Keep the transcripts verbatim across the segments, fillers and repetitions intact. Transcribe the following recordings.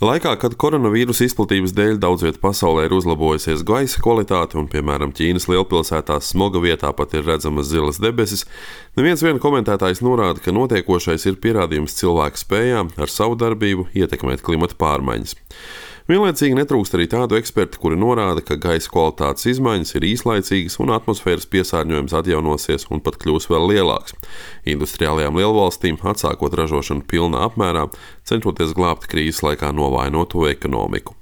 Laikā, kad koronavīrusa izplatības dēļ daudz vietā pasaulē ir uzlabojusies gaisa kvalitāte un, piemēram, Ķīnas lielpilsētās smoga vietā pat ir redzamas zilas debesis, neviens vien komentētājs norāda, ka notiekošais ir pierādījums cilvēku spējām ar savu darbību ietekmēt klimata pārmaiņas. Vienlaicīgi netrūkst arī tādu ekspertu, kuri norāda, ka gaisa kvalitātes izmaiņas ir īslaicīgas un atmosfēras piesārņojums atjaunosies un pat kļūs vēl lielāks. Industriālajām lielvalstīm atsākot ražošanu pilnā apmērā, cenšoties glābt krīzes laikā novājinoto ekonomiku.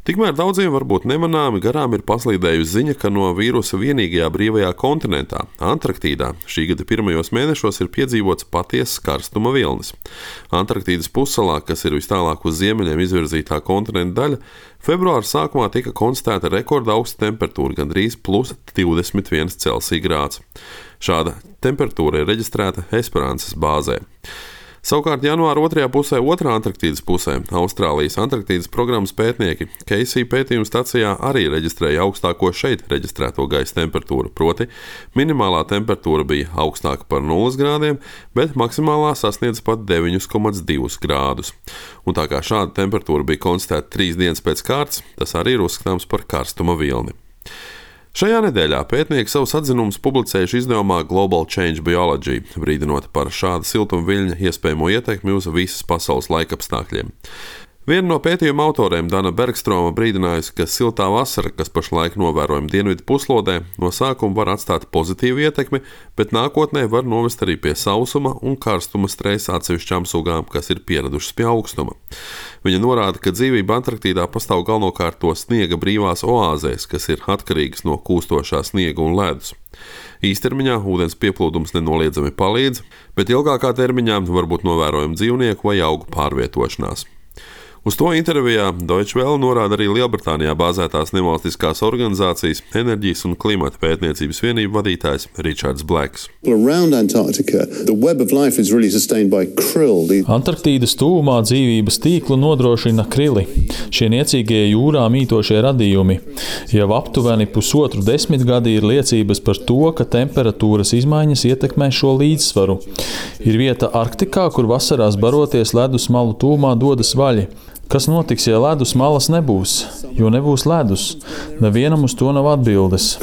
Tikmēr daudziem varbūt nemanāmi garām ir paslīdējusi ziņa, ka no vīrusa vienīgajā brīvajā kontinentā, Antarktīdā, šī gada pirmajos mēnešos ir piedzīvots patiesas karstuma vilnis. Antarktīdas pussalā, kas ir vis tālāk uz ziemeļiem izvirzītā kontinenta daļa, februāra sākumā tika konstatēta rekorda augsta temperatūra, gandrīz plus divdesmit viens Celsija grāds. Šāda temperatūra ir reģistrēta Esperances bāzē. Savukārt janvāra otrajā pusē, otrā Antarktīdas pusē, Austrālijas Antarktīdas programmas pētnieki Keisija pētījuma stacijā arī reģistrēja augstāko šeit reģistrēto gaisa temperatūru, proti minimālā temperatūra bija augstāka par nulles grādiem, bet maksimālā sasniedza pat deviņi komats divi grādus. Un tā kā šāda temperatūra bija konstatēta trīs dienas pēc kārtas, tas arī ir uzskatāms par karstuma vilni. Šajā nedēļā pētnieki savus atzinumus publicējuši izdevumā Global Change Biology, brīdinot par šāda siltuma viļņa iespējamo ietekmi uz visas pasaules laikapstākļiem. Viena no pētījuma autoriem, Dana Bergstroma, brīdinājusi, ka siltā vasara, kas pašlaik novērojama dienvidu puslodē, no sākuma var atstāt pozitīvu ietekmi, bet nākotnē var novest arī pie sausuma un karstuma stresa atsevišķām sugām, kas ir pieradušas pie augstuma. Viņa norāda, ka dzīvība Antarktīdā pastāv galvenokārt to sniega brīvās oāzēs, kas ir atkarīgas no kūstošā sniega un ledus. Īstermiņā ūdens pieplūdums nenoliedzami palīdz, bet ilgākā termiņā var būt novērojama dzīvnieku vai augu pārvietošanās. Uz to intervijā Deutsche Welle norāda arī Lielbritānijā bāzētās nevalstiskās organizācijas enerģijas un klimata pētniecības vienību vadītājs Richards Blacks. Antarktīdas tuvumā dzīvības tīklu nodrošina krili, šie niecīgie jūrā mītošie radījumi. Jau aptuveni pusotru desmitgadi ir liecības par to, ka temperatūras izmaiņas ietekmē šo līdzsvaru. Ir vieta Arktikā, kur vasarās baroties ledus malu tuvumā dodas vaļi. Kas notiks, ja ledus malas nebūs? Jo nebūs ledus. Nevienam uz to nav atbildes.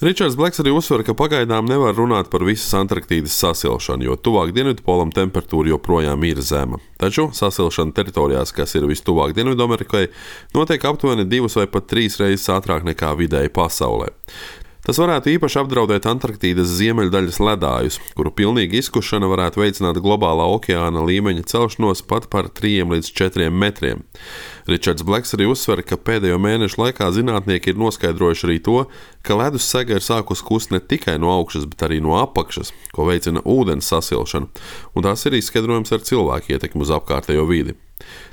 Richards Blacks arī uzsver, ka pagaidām nevar runāt par visas Antarktīdas sasilšanu, jo tuvāk dienvidpolam temperatūra joprojām ir zema. Taču sasilšana teritorijās, kas ir vistuvāk Dienvidamerikai, notiek aptuveni divas vai pat trīs reizes ātrāk nekā vidēji pasaulē. Tas varētu īpaši apdraudēt Antarktīdas ziemeļdaļas ledājus, kuru pilnīga izkušana varētu veicināt globālā okeāna līmeņa celšanos pat par trīs līdz četriem metriem. Richards Blacks arī uzsver, ka pēdējo mēnešu laikā zinātnieki ir noskaidrojuši arī to, ka ledus sega ir sākus kust ne tikai no augšas, bet arī no apakšas, ko veicina ūdens sasilšana, un tās ir izskaidrojums ar cilvēku ietekmi uz apkārtējo vidi.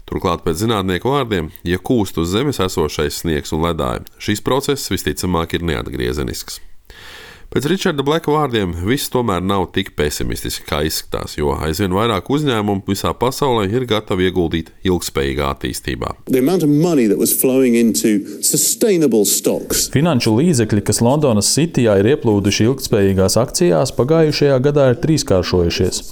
Turklāt pēc zinātnieku vārdiem, ja kūst uz zemes esošais sniegs un ledāji, šis process visticamāk ir neatgriezenisks. Pēc Richarda Blacka vārdiem viss tomēr nav tik pesimistiski, kā izskatās, jo aizvien vairāk uzņēmumu visā pasaulē ir gatavi ieguldīt ilgspējīgā attīstībā. Finanšu līdzekļi, kas Londonas Cityjā ir ieplūduši ilgtspējīgās akcijās, pagājušajā gadā ir trīskāršojušies.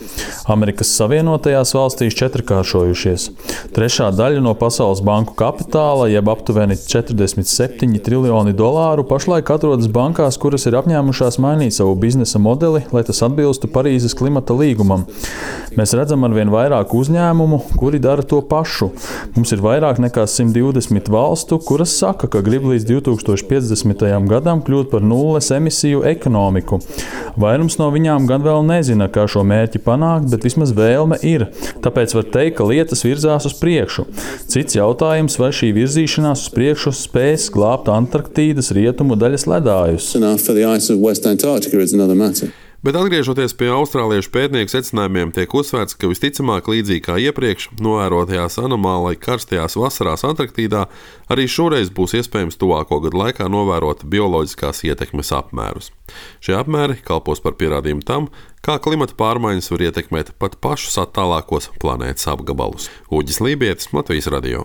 Amerikas Savienotajās valstīs četrkāršojušies. Trešā daļa no Pasaules banku kapitāla, jeb aptuveni četrdesmit septiņi triljoni dolāru, pašlaik atrodas bankās, kuras ir apņēmušās mainīt savu biznesa modeli, lai tas atbilstu Parīzes klimata līgumam. Mēs redzam arvien vairāk uzņēmumu, kuri dara to pašu. Mums ir vairāk nekā simt divdesmit valstu, kuras saka, ka grib līdz divi tūkstoši piecdesmitajam gadam kļūt par nulles emisiju ekonomiku. Vairums no viņām gan vēl nezina, kā šo mērķi panākt, bet vismaz vēlme ir. Tāpēc var teikt, ka lietas virzās uz priekšu. Cits jautājums, vai šī virzīšanās uz priekšu spēs glābt Antarktīdas rietumu daļas ledājus. Bet atgriežoties pie austrāliešu pētnieku secinājumiem, tiek uzsvērts, ka visticamāk līdzīgi kā iepriekš novērotajās anomāli karstajās vasarās Antarktīdā, arī šoreiz būs iespējams tuvāko gadu laikā novērot bioloģiskās ietekmes apmērus. Šie apmēri kalpos par pierādījumu tam, kā klimata pārmaiņas var ietekmēt pat pašus attālākos planētas apgabalus. Uģis Lībietis, Latvijas radio.